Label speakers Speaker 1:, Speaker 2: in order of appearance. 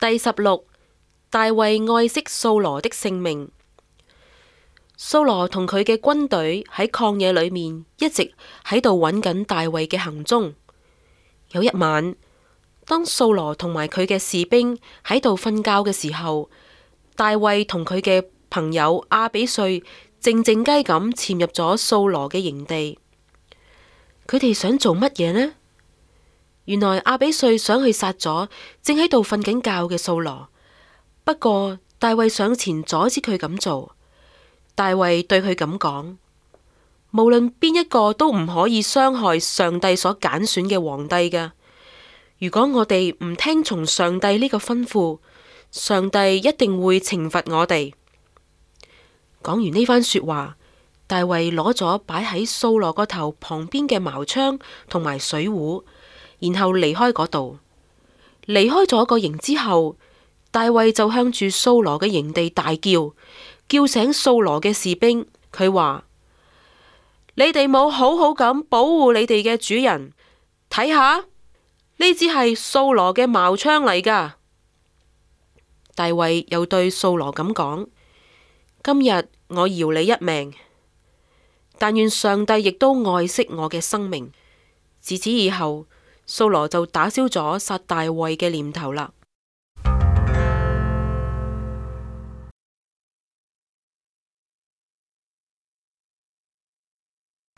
Speaker 1: 第16，大衛愛惜掃羅的性命。掃羅同佢嘅軍隊喺曠野裏面一直喺度揾緊大衛嘅行蹤。有一晚，當掃羅同埋佢嘅士兵喺度瞓覺嘅時候，大衛同佢嘅朋友亞比歲靜靜雞咁潛入咗掃羅嘅營地。佢哋想做乜嘢呢？原來亞比歲想去殺咗正喺度瞓緊覺嘅掃羅，不過大衛上前阻止佢咁做。大衛對佢咁講：無論邊一個都唔可以傷害上帝所揀選嘅皇帝㗎。如果我哋唔聽從上帝呢個吩咐，上帝一定會懲罰我哋。講完呢番說話，大衛攞咗擺喺掃羅個頭旁邊嘅矛槍同埋水壺，然後離開嗰度。離開咗個營之後，大衛就向住掃羅嘅營地大叫，叫醒掃羅嘅士兵。佢話：你哋冇好好咁保護你哋嘅主人，睇下呢支係掃羅嘅矛槍嚟噶。大衛又對掃羅咁講：今日我饒你一命，但願上帝亦都愛惜我嘅生命。自此以後，掃羅就打消咗殺大衛嘅念頭啦。